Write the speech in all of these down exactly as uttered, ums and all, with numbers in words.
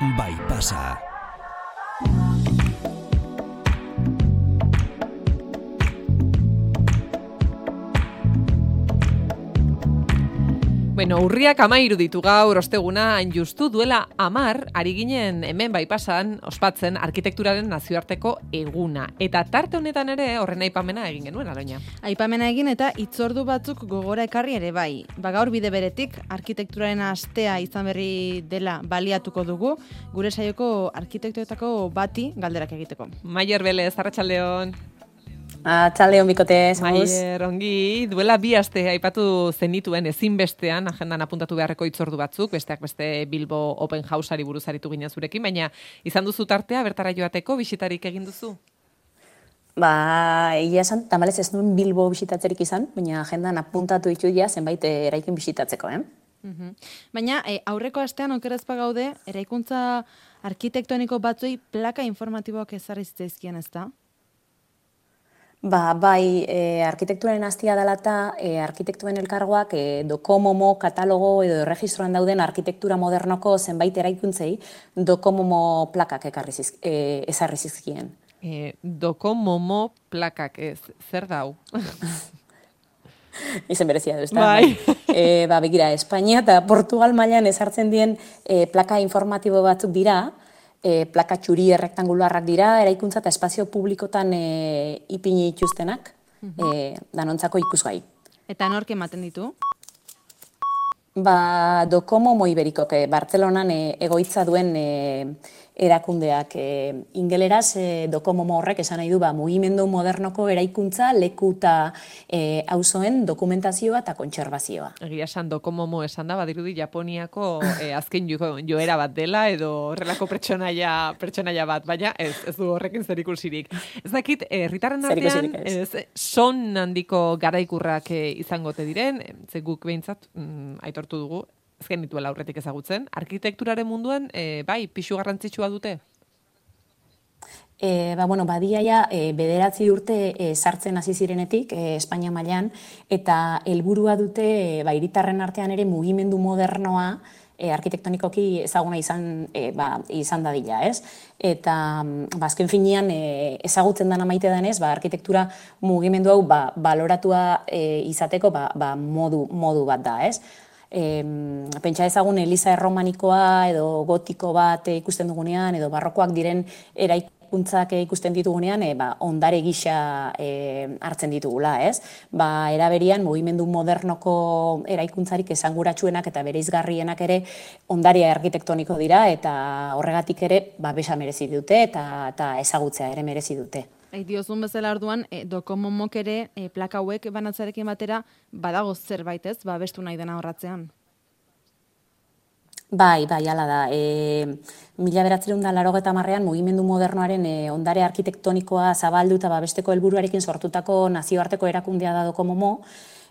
bai pasa. Bueno, urriak amairu ditu gaur osteguna, hain justu duela amar, ari ginen hemen bai pasan, ospatzen arkitekturaren nazioarteko eguna. Eta tarte honetan ere horren aipamena egin genuen, Aloina. Aipamena egin eta hitzordu batzuk gogora ekarri ere bai. Ba gaur bide beretik, arkitekturaren astea izan berri dela baliatuko dugu, gure saioko arkitektoetako bati galderak egiteko. Maier Belez, arratsaldeon. Arratsaldeon bikote, zamuz. Maier, ongi, duela bi aste aipatu zenituen ezinbestean agendan apuntatu beharreko hitzordu batzuk, besteak beste Bilbo Open Houseari buruz aritu ginen zurekin, baina izan duzu tartea bertara joateko bisitarik egin duzu? Ba, egia esan, tamalez ez nuen Bilbo bisitatzerik izan, baina agendan apuntatu ditu ja zenbait eraikin bisitatzeko, eh? Uhum. Baina e, aurreko astean okerrezpa gaude, eraikuntza arkitektoniko batzuei plaka informatiboak ezarri zitzaizkien, ezta? Ba, bai, e, arkitekturaren astia dela eta e, arkitektuen elkargoak e, dokomomo, katalogo edo erregistroan dauden arkitektura modernoko zenbait eraikuntzei dokomomo plakak ekarri ziz, e, ezarri zizkien. E, dokomomo plakak ez, zer dau? Izen berezia du, ez da? Bai. E, ba, begira, Espainia eta Portugal mailan ezartzen dien e, plaka informatibo batzuk dira, E, plaka txuri errektangularrak dira, eraikuntza eta espazio publikotan e, ipini ituztenak, e, danontzako ikusgai. Eta nork ematen ditu? Ba, Dokomomo Iberikok, e, Bartzelonan e, egoitza duen e, erakundeak. E, ingeleraz, e, Dokomomo horrek esan nahi du, ba, mugimendu modernoko eraikuntza, leku eta e, auzoen dokumentazioa eta kontserbazioa. Egia esan dokomomo esan da, badirudi Japoniako e, azken jo, joera bat dela, edo horrelako pertsonaia, pertsonaia bat, baina ez, ez du horrekin zerikusirik. Ez dakit, herritarren artean, ez, son handiko garaikurrak e, izango te diren, ze guk behintzat, mm, aitortu dugu, ez genituela aurretik ezagutzen, arkitekturaren munduan, e, bai, pixu garrantzitsua dute? E, ba, bueno, badiaia e, bederatzi urte e, sartzen hasi zirenetik e, Espainia mailan, eta helburua dute e, ba, hiritarren artean ere mugimendu modernoa e, arkitektonikoki ezaguna izan, e, ba, izan dadila, ez? Eta ba, azken finean e, ezagutzen dana maite denez, ba, arkitektura mugimendu hau ba, baloratua e, izateko ba, ba, modu, modu bat da, ez? E, pentsa ezagun Eliza erromanikoa edo gotiko bat e, ikusten dugunean, edo barrokoak diren eraikuntzak e, ikusten ditugunean, e, ba, ondare gisa e, hartzen ditugula, ez? Ba, eraberian, mugimendu modernoko eraikuntzarik esanguratsuenak eta bereizgarrienak ere ondarea arkitektoniko dira, eta horregatik ere ba, besa merezi dute eta, eta ezagutzea ere merezi dute. Ei, diozun bezala orduan, e, dokomomok ere e, plaka hauek banatzarekin batera badago zerbait ez, ba, bestu nahi dena horratzean. Bai, bai, hala da. E, mila bederatziehun eta laurogeita hamarrean mugimendu modernoaren e, ondare arkitektonikoa zabaldu eta babesteko helburuarekin sortutako nazioarteko erakundea da Dokomomo,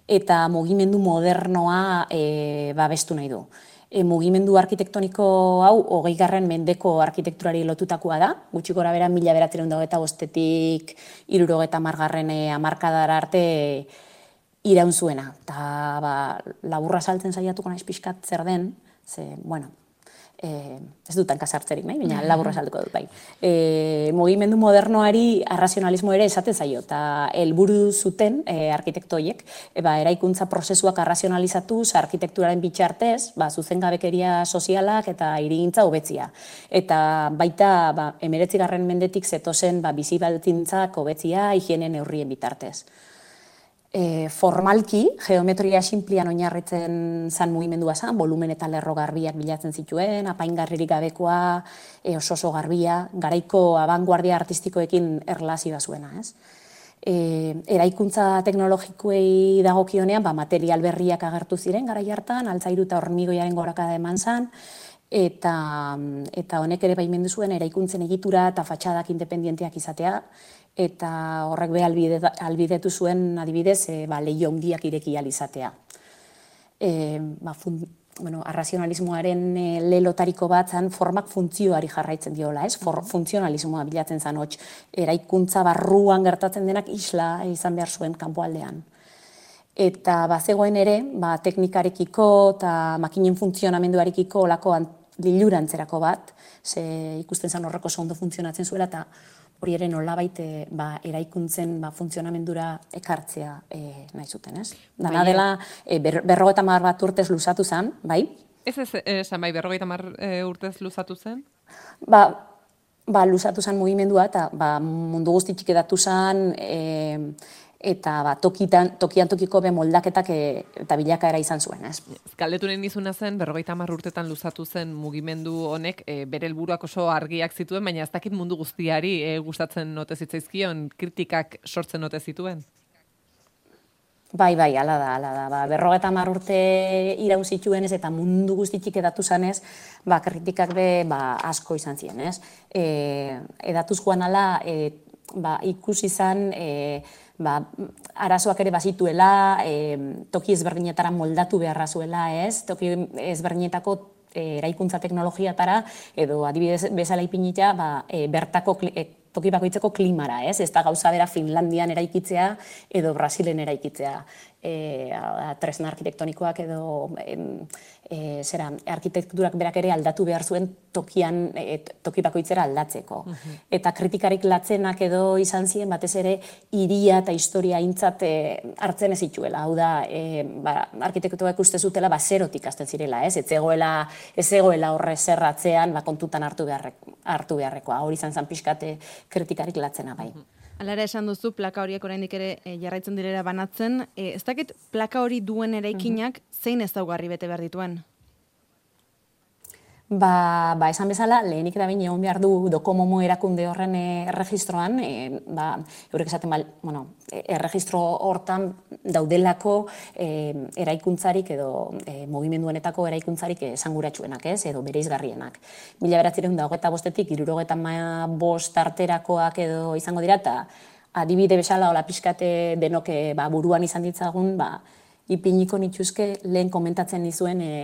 eta mugimendu modernoa e, babestu nahi du. E, mugimendu arkitektoniko hau hogeigarren mendeko arkitekturari lotutakoa da, gutxi gora bera mila bederatziehun eta hogeita bostetik hirurogeita hamargarren hamarkadara arte iraun zuena. Eta ba, laburra saltzen saiatuko naiz pixkat zer den, ze, bueno, e, ez dut hankasartzerik nahi, baina laburra saltuko dut bai. E, mugimendu modernoari arrazionalismo ere esaten zaio, eta helburu zuten e, arkitektoiek, e, ba, eraikuntza prozesuak arrazionalizatuz, arkitekturaren bitxartez, ba, zuzengabekeria sozialak eta hirigintza hobetzia. Eta baita ba, hemeretzigarren mendetik zetozen ba, bizi baldintzak hobetzia higiene neurrien bitartez. E, formalki, geometria sinplian oinarritzen zan mugimendua zan, volumen eta lerro garbiak bilatzen zituen, apaingarririk gabekoa, e, oso oso garbia, garaiko abanguardia artistikoekin erlazioa zuena, ez? E, eraikuntza teknologikoei dagokionean, ba, material berriak agertu ziren garai hartan, altzairu eta hormigoiaren gorakada eman zan, eta, eta honek ere baimendu zuen eraikuntzen egitura eta fatxadak independienteak izatea, eta horrek be albidetu zuen adibidez e, ba, leiho handiak ireki ahal izatea. E, ba, fun, bueno, arrazionalismoaren e, lelotariko bat zan formak funtzioari jarraitzen diola, ez? For, funtzionalismoa bilatzen zan hots, eraikuntza barruan gertatzen denak isla izan behar zuen kanpoaldean. Eta bazegoen ere, ba, teknikarekiko eta makinen funtzionamenduarekiko olako lilurantzerako bat, ze ikusten zen horreko oso ondo funtzionatzen zuela, eta hori ere nolabait ba, eraikuntzen ba, funtzionamendura ekartzea e, nahi zuten, ez? Dana dela, e, ber, berrogeita hamar bat urtez luzatu zen, bai? Ez ez, esan bai, berrogeita hamar urtez luzatu zen? Ba, ba luzatu zen mugimendua, eta ba, mundu guzti txiki datu zen, e, eta ba, tokian, tokian tokiko be moldaketak e, eta bilakaera izan zuen, ez? Galdetu nahi nizuna zen, berrogeita hamar urtetan luzatu zen mugimendu honek e, bere helburuak oso argiak zituen, baina ez dakit mundu guztiari e, gustatzen ote zitzaizkion, kritikak sortzen ote zituen? Bai, bai, ala da, ala da. Ba, berrogeita hamar urte iraun zituen ez, eta mundu guztitik edatu zanez, ba, kritikak be ba, asko izan ziren, ez? E, edatuz joan ala, e, ba, ikusi izan, e, ba, arazoak ere bazituela, e, toki ezberdinetara moldatu beharra zuela, ez? Toki ezberdinetako e, eraikuntza teknologiatara, edo adibidez bezala ipinita, ba, e, bertako e, toki bakoitzeko klimara, ez? Ez da gauza bera Finlandian eraikitzea edo Brasilen eraikitzea. E, tresna arkitektonikoak edo e, e, zera, arkitekturak berak ere aldatu behar zuen tokian, e, toki bakoitzera aldatzeko. Uh-huh. Eta kritikarik latzenak edo izan ziren batez ere hiria eta historia aintzat e, hartzen ez zituela. Hau da, e, ba, arkitektuak uste zutela ba, zerotik hasten zirela, ez? Ez egoela, ez egoela horre zerratzean ba, kontutan hartu, beharrek, hartu beharrekoa. Hori izan zen pixkate kritikarik latzena bai. Uh-huh. Alara esan duzu, plaka horiek oraindik ere e, jarraitzen direla banatzen. E, ez dakit plaka hori duen eraikinak zein ezaugarri bete behar dituen? Ba, ba, esan bezala, lehenik eta behin egon behar du Docomomo erakunde horren erregistroan, e, ba, eurek esaten, ba, bueno, erregistro hortan daudelako e, eraikuntzarik edo e, mugimenduenetako eraikuntzarik esanguratsuenak, ez, edo bereizgarrienak. Mila bederatziehun eta hogeita bostetik, hirurogeita bost arterakoak edo izango dira, eta adibide bezala hola pixkate denok ba, buruan izan ditzagun, ba, ipiniko nituzke lehen komentatzen dizuen e,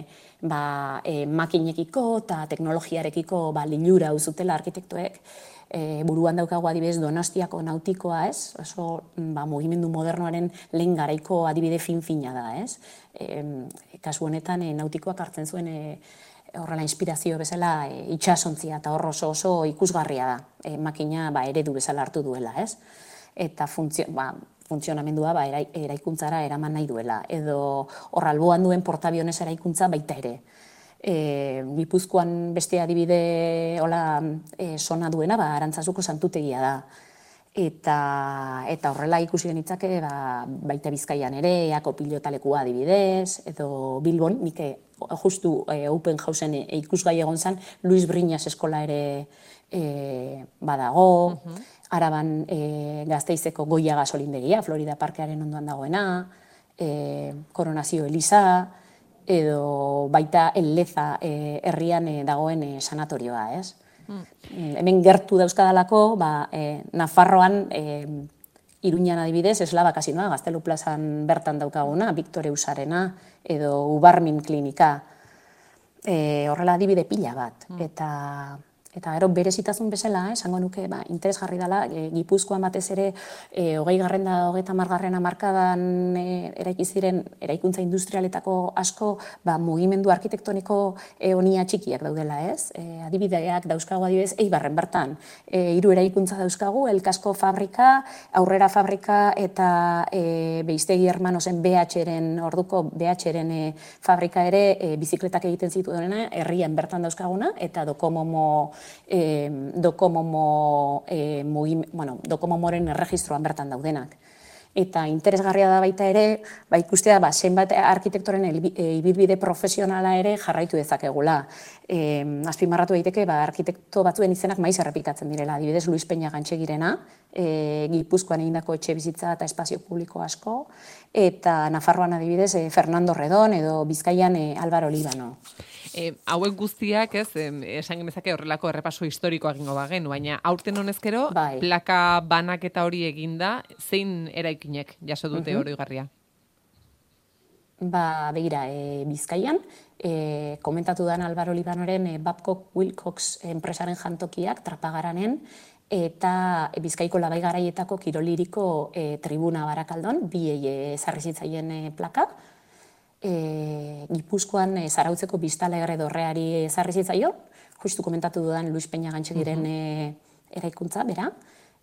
ba, e, makinekiko eta teknologiarekiko ba, lilura uzutela arkitektoek. E, buruan daukagu adibidez Donostiako nautikoa, ez? Oso ba, mugimendu modernoaren lehen garaiko adibide fin-fina da, ez? E, kasu honetan e, nautikoak hartzen zuen e, horrela inspirazio bezala e, itxasontzia eta hor oso oso ikusgarria da. E, makina ba, eredu bezala hartu duela, ez? Eta funtzio, ba, funtzionamendua ba, eraikuntzara eraman nahi duela. Edo hor alboan duen portabionez eraikuntza baita ere. E, Gipuzkoan beste adibide hola, e, sona duena, ba, Arantzazuko santutegia da. Eta, eta horrela ikusi genitzake ba, baita Bizkaian ere, Eako pilotalekua adibidez, edo Bilbon, nik justu e, Open Houseen e, ikusgai egon zen, Luis Briñas eskola ere e, badago, uh-huh. Araban e, Gazteizeko Goia gasolindegia, Florida Parkearen ondoan dagoena, e, Koronazio Eliza, edo baita Elleza e, herrian e, dagoen e, sanatorioa, ez? Mm. E, hemen gertu dauzkadalako, ba, e, Nafarroan, e, Iruñan adibidez, Eslaba kasinoa, Gaztelu plazan bertan daukaguna, Victor Eusarena, edo Ubarmin klinika, e, horrela adibide pila bat. Mm. Eta... Eta gero berezitasun bezala, esango nuke, ba, interesgarri dela, e, Gipuzkoan batez ere, e, hogei garren da, hogeita margarren hamarkadan e, eraiki ziren eraikuntza industrialetako asko, ba, mugimendu arkitektoniko e, onia txikiak daudela, ez? E, adibideak dauzkagu adibidez, Eibarren bertan. E, hiru eraikuntza dauzkagu, Elkasko fabrika, Aurrera fabrika eta e, Beiztegi Hermanosen B H-ren, orduko B H-ren e, fabrika ere e, bizikletak egiten zituena, herrian bertan dauzkaguna, eta Docomomo E, Docomomo, e, bueno, Docomomoren erregistroan bertan daudenak. Eta interesgarria da baita ere, ba, ikustea ba, zenbat arkitektoren ibilbide profesionala ere jarraitu dezakegula. E, azpimarratu daiteke ba, arkitekto batzuen izenak maiz errepikatzen direla. Adibidez, Luis Peña Gantxegirena, e, Gipuzkoan egindako etxe bizitza eta espazio publiko asko, eta Nafarroan adibidez e, Fernando Redon edo Bizkaian e, Álvaro Líbano. E, hauek guztiak, ez, esan genezake horrelako errepaso historikoa egingo bagen, baina aurten honezkero, bai. Plaka banaketa hori eginda, zein eraikinek jaso dute uh-huh. oroigarria? Ba, begira, e, Bizkaian, e, komentatu dan Álvaro Líbanoren e, Babcock Wilcox enpresaren jantokiak Trapagaranen, eta Bizkaiko Labai Garaietako kiroliriko e, tribuna Barakaldon, bi ezarri zitzaien e, plaka. E, Gipuzkoan e, Zarautzeko Biztalegre dorreari ezarri zitzaion, justu komentatu dudan Luis Peña Gantxegiren e, eraikuntza, bera,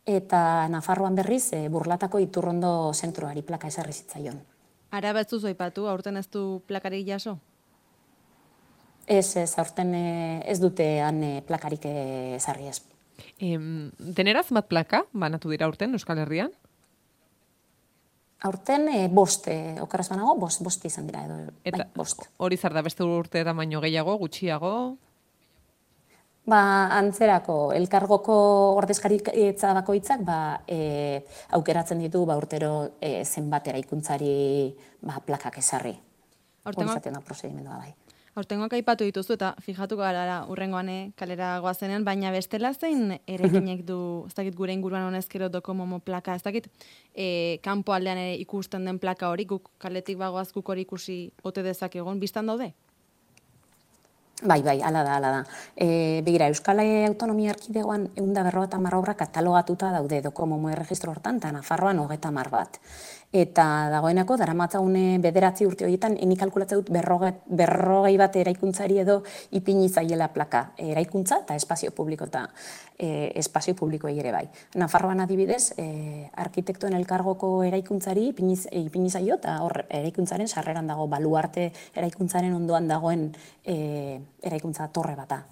eta Nafarroan berriz e, Burlatako Iturrondo zentroari plaka ezarri zitzaion. Ara batzu zoipatu, aurten ez du plakarik jaso? Ez, ez, aurten ez dutean plakarik ezarri ez. Em, deneraz mat plaka, banatu dira aurten Euskal Herrian? Aurten e, bost, e, okerraz banago, bost, bost izan dira edo, Eta bai, bost. Hori zer da beste urte da baino gehiago, gutxiago? Ba, antzerako, elkargoko ordezkaritza bakoitzak ba, e, aukeratzen ditu ba, urtero e, zenbat eraikuntzari ba, plakak ezarri. Hori zaten da prosedimendua bai. Aurtengoak aipatu dituzu eta fijatu gara urrengoan kalera goazenean, baina bestela zein erekinek du, ez dakit gure inguruan honezkero dokomomo plaka, ez dakit e, kanpo aldean ere ikusten den plaka hori, guk kaletik bagoaz guk hori ikusi ote dezakegun, biztan daude? Bai, bai, ala da, ala da. E, begira, Euskal Autonomia Erkidegoan ehun eta berrogeita hamar obra katalogatuta daude dokomomo erregistro hortan, eta Nafarroan hogeita hamar bat. Eta dagoenako, daramatzagune bederatzi urte horietan, eni kalkulatzen dut berrogei bat eraikuntzari edo ipini zaiela plaka. Eraikuntza eta espazio publiko eta e, espazio publikoei ere bai. Nafarroan adibidez, e, arkitektuen elkargoko eraikuntzari ipini, ipini zaio, eta hor eraikuntzaren sarreran dago, baluarte eraikuntzaren ondoan dagoen e, eraikuntza torre bata.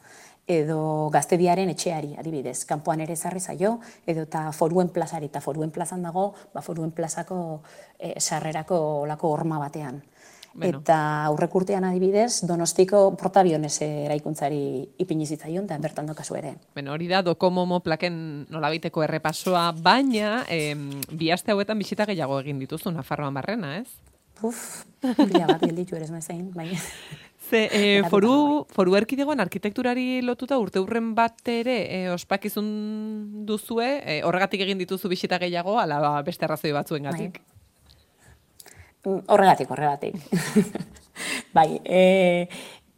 Edo Gaztediaren etxeari, adibidez, kanpoan ere ezarri zaio, edo eta Foruen plazari, eta Foruen plazan dago, ba Foruen plazako e, sarrerako olako horma batean. Bueno. Eta aurrek urtean adibidez, Donostiko Portabiones eraikuntzari ipini zitzaion, eta bertan dokazu ere. Bueno, hori da dokomomo plaken nolabiteko errepasoa, baina em, bi aste hauetan bisita gehiago egin dituzu Nafarroan barrena, ez? Puf, bila bat gelditu ere ez baina... Ze, e, foru, foru erkidegoan arkitekturari lotuta urte hurren bat ere e, ospakizun duzue, e, horregatik egin dituzu bisita gehiago, ala beste arrazoi batzuen gatik? Horregatik, horregatik. Bai, e,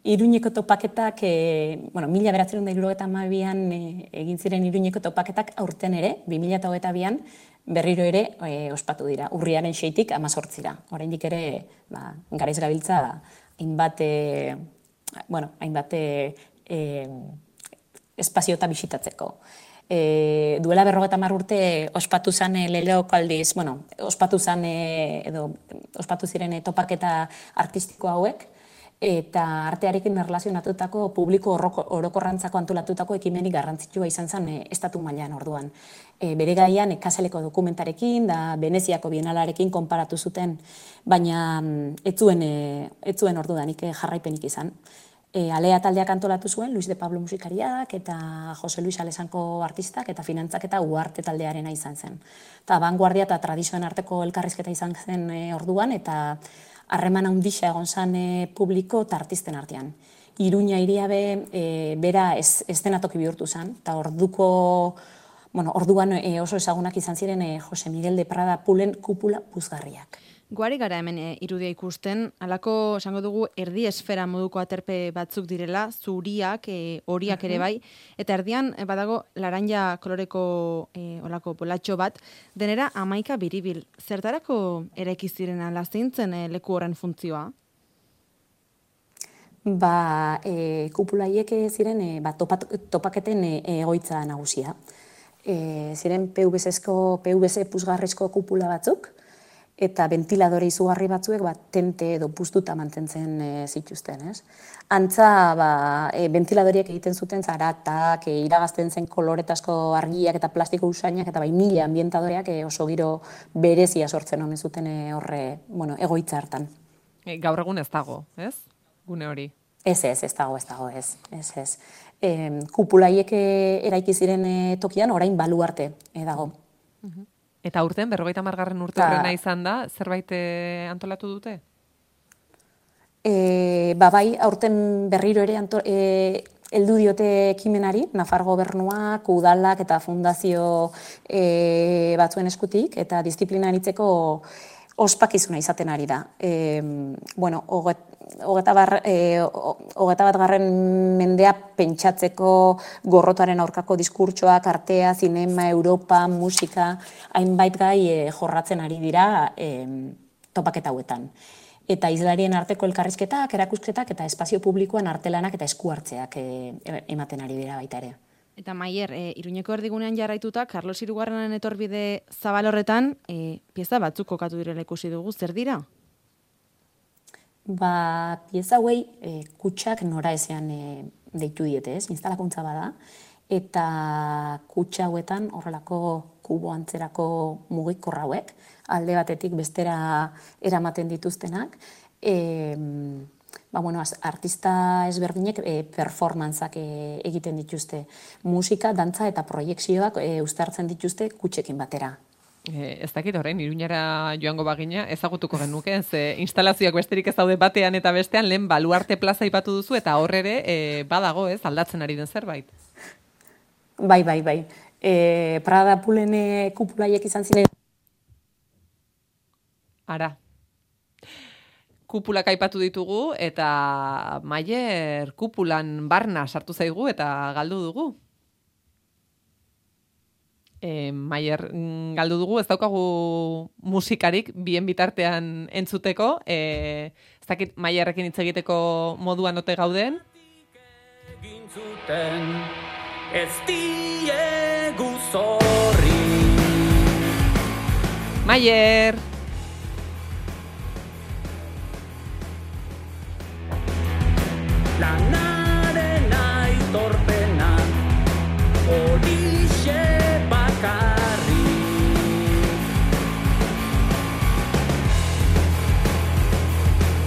Iruñeko topaketak, e, bueno, mila bederatziehun eta hirurogeita hamabian e, egin ziren Iruñeko topaketak aurten ere, bi mila hogeita bian, berriro ere e, ospatu dira, urriaren seitik hamazortzira. Oraindik ere, ba, garaiz gabiltza, hainbat, e, bueno, hainbat e, espaziota bisitatzeko. E, duela berrogeita hamar urte ospatu zen e, leheoko aldiz, bueno, ospatu zen e, edo ospatu ziren e, topaketa artistiko hauek, eta artearekin erlazionatutako publiko orokorrantzako antolatutako ekimenik garrantzitsua izan zen e, estatu mailan orduan. E, bere gaian e, Kaseleko dokumentarekin da Veneziako bienalarekin konparatu zuten, baina ez zuen, e, ez zuen ordudanik e, jarraipenik izan. E, Alea taldeak antolatu zuen, Luis de Pablo musikariak eta Jose Luis Alezanko artistak eta finantzak eta Uarte taldearena izan zen. Eta vanguardia eta tradizioen arteko elkarrizketa izan zen e, orduan, eta harreman handixa egon zen e, publiko eta artisten artean. Iruña hiria be, e, bera ez, ez denatoki bihurtu zen, eta orduko, bueno, orduan e, oso ezagunak izan ziren e, Jose Miguel de Prada Pulen kupula puzgarriak. Guari gara hemen e, irudia ikusten, halako esango dugu erdi esfera moduko aterpe batzuk direla, zuriak, e, horiak ere bai, eta erdian e, badago laranja koloreko e, olako bolatxo bat, denera hamaika biribil. Zertarako eraiki ziren ala zintzen e, leku horren funtzioa? Ba, e, kupulaiek ziren e, ba, topat, topaketen e, egoitza nagusia. E, ziren P V C-ko, P V C puzgarrizko kupula batzuk, eta ventiladore izugarri batzuek ba, tente edo puztuta mantentzen e, zituzten, ez? Antza, ba, e, ventiladoriek egiten zuten zaratak, e, iragazten zen koloretazko argiak eta plastiko usainak, eta bai mila ambientadoreak e, oso giro berezia sortzen omen zuten e, horre, bueno, egoitza hartan. E, gaur egun ez dago, ez? Gune hori. Ez, ez, ez dago, ez dago, ez, ez, ez. E, kupulaiek eraiki ziren e, tokian, orain baluarte e, dago. Uh-huh. Eta urten, berrogeita hamargarren urte horrena izan da, zerbait antolatu dute? E, ba bai, aurten berriro ere anto, e, heldu diote ekimenari, Nafar gobernuak, udalak eta fundazio e, batzuen eskutik, eta disiplinaritzeko ospakizuna izaten ari da. E, bueno, hogeta bat garren mendea pentsatzeko gorrotoaren aurkako diskurtsoak, artea, zinema, Europa, musika, hainbait gai e, jorratzen ari dira e, topaketa hauetan. eta islarien arteko elkarrizketak, erakusketak eta espazio publikoan artelanak eta eskuartzeak e, ematen ari dira baita ere. Eta Maier, e, Iruñeko erdigunean jarraituta, Carlos Hirugarrenen etorbide zabal horretan, e, pieza batzuk kokatu direla ikusi dugu, zer dira? Ba, pieza hauei e, kutsak nora ezean e, deitu diete, ez? Instalakuntza bada, eta kutsa hauetan horrelako kubo antzerako mugikor hauek, alde batetik bestera eramaten dituztenak, e, ba, bueno, artista ezberdinek e, performantzak e, egiten dituzte. Musika, dantza eta proiekzioak e, uztartzen dituzte kutsekin batera. E, ez dakit orain, Iruñara joango bagina, ezagutuko genuke, ze instalazioak besterik ez daude batean eta bestean, lehen Baluarte plaza ipatu duzu, eta horrere e, badago, ez, aldatzen ari den zerbait. Bai, bai, bai. E, Prada Pulene kupulaiek izan ziren. Ara. Kupulak aipatu ditugu, eta Maier kupulan barna sartu zaigu eta galdu dugu. E, Maier galdu dugu, ez daukagu musikarik bien bitartean entzuteko. E, ez dakit Maierrekin hitz egiteko moduan ote gauden. Ez diegu zorri. Maier! Lanaren aitorpena horixe bakarri.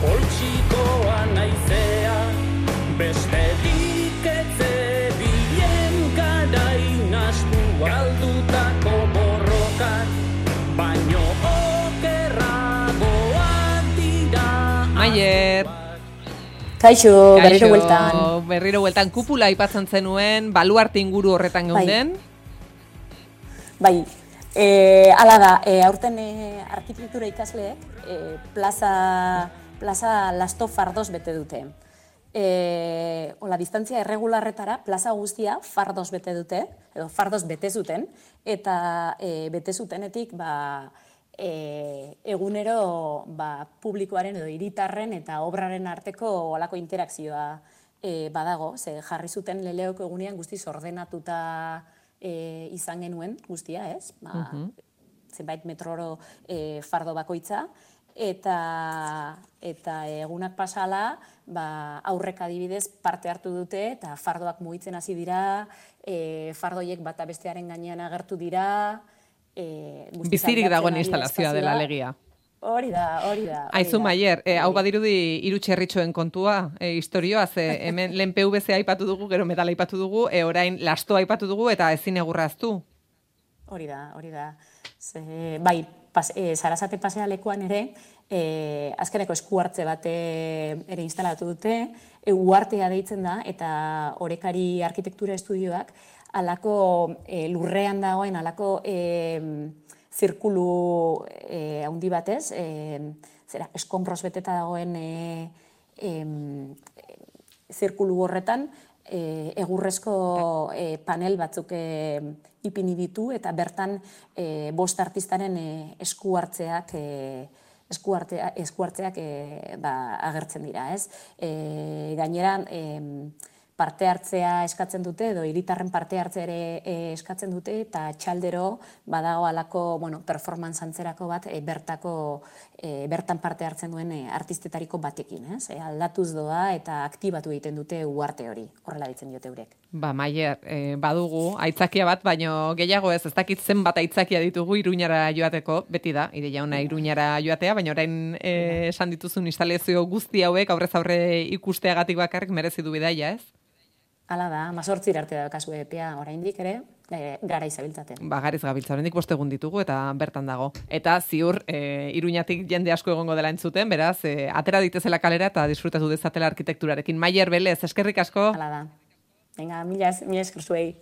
Poltsikoa naizea besterik etzebien garain astu galdutako borrokak, baino okerragoak dira. Maier! Kaixo, berriro bueltan. Berriro bueltan, kupula aipatzen zenuen, Baluarte inguru horretan geunden. Bai, e, ala da, e, aurten e, arkitektura ikasleek e, plaza, plaza Lasto fardoz bete dute. E, ola, distantzia erregularretara plaza guztia fardoz bete dute, edo fardoz bete zuten, eta e, bete zutenetik, ba, E, egunero ba, publikoaren edo hiritarren eta obraren arteko olako interakzioa e, badago, ze jarri zuten leleoko egunean guztiz ordenatuta e, izan genuen guztia, ez? Ba, uh-huh. Zenbait metroro e, fardo bakoitza, eta, eta egunak pasala ba, aurrek adibidez parte hartu dute eta fardoak mugitzen hasi dira, e, fardoiek bata bestearen gainean agertu dira, E, bizirik dagoen instalazioa dela alegia. Hori da, hori da. Aizu Maier, e, hau badirudi hiru txerritxoen kontua, e, historioa, ze hemen lehen P V C aipatu dugu, gero metala aipatu dugu, e, orain Lasto aipatu dugu eta ezin egurraztu. Hori da, hori da. Ze, bai, pas, e, Sarasate pasealekuan ere, e, azkeneko eskuartze bate ere instalatu dute, e, uartea deitzen da, eta Orekari arkitektura estudioak, alako e, lurrean dagoen, alako e, zirkulu e, handi batez, e, zera, eskonbroz beteta dagoen e, e, zirkulu horretan, e, egurrezko e, panel batzuk e, ipini ditu, eta bertan e, bost artistaren e, esku hartzeak, e, esku hartzea, esku hartzeak e, ba, agertzen dira, ez? E, gainera, e, parte hartzea eskatzen dute, edo hiritarren parte hartzea ere e, eskatzen dute, eta txaldero badago alako, bueno, performance antzerako bat, e, bertako, e, bertan parte hartzen duen e, artistetariko batekin, ez? E, aldatuz doa eta aktibatu egiten dute uarte hori, horrela ditzen diote eurek. Ba, Maier, e, badugu, aitzakia bat, baino gehiago ez, ez dakit zenbat aitzakia ditugu Iruñara joateko, beti da, ideia ona Iruñara joatea, baina orain e, esan dituzun instalazio guzti hauek aurrez aurre ikusteagatik bakarrik merezi du bidaia, ez? Hala da, mazortzir arte da kasu epea oraindik ere, e, gara izabiltzaten. Ba, gariz gabiltza, oraindik bost egun ditugu eta bertan dago. Eta ziur, e, Iruñatik jende asko egongo dela entzuten, beraz, e, atera ditezela kalera eta disfrutatu dezatela arkitekturarekin. Maier Belez, eskerrik asko. Hala da. Venga, mila esker zuei.